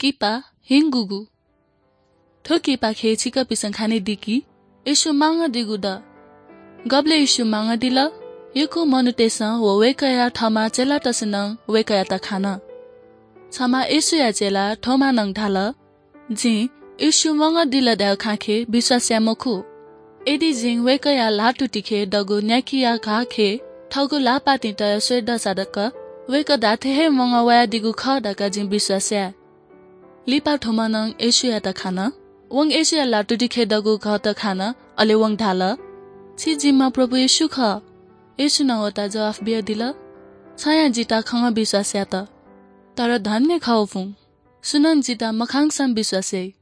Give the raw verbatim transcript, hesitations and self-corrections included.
किपा हिंगुगु। थ्व किपाखे छिकपिसं खनेदी कि येशू मांगदीगु दु। गबलय् येशू मांगदिल, यक्व मनूतय्सं व वय्कःया थःम्हं चेलातय्सं नं वय्कःयात खान। छम्ह येशूया चेला थोमां नं धाल, "जिं येशू मांगदिल धाःगु खँखे विश्वास याये मखु। यदि जिं वय्कःया ल्हातुतिखे दःगु न्याकिया घाःखे थःगु ल्हाःपातिं तयाः स्वये दःसा तक वय्कः धात्थें हे मांगवयादीगु खः धकाः जिं विश्वास याये।" लिपा थोमां नं येशूयात खान। वं येशूया ल्हातुतिखे दःगु घःत खान, अले वं धाल, "छि जिम्ह प्रभु येशू खः।" येशूं नं वयात जवाफ बियादिल, "छंया जितः खंगः विश्वास यात। तर धन्य खः फुं, सुनानं जितः मखंकसां विश्वास याइ।"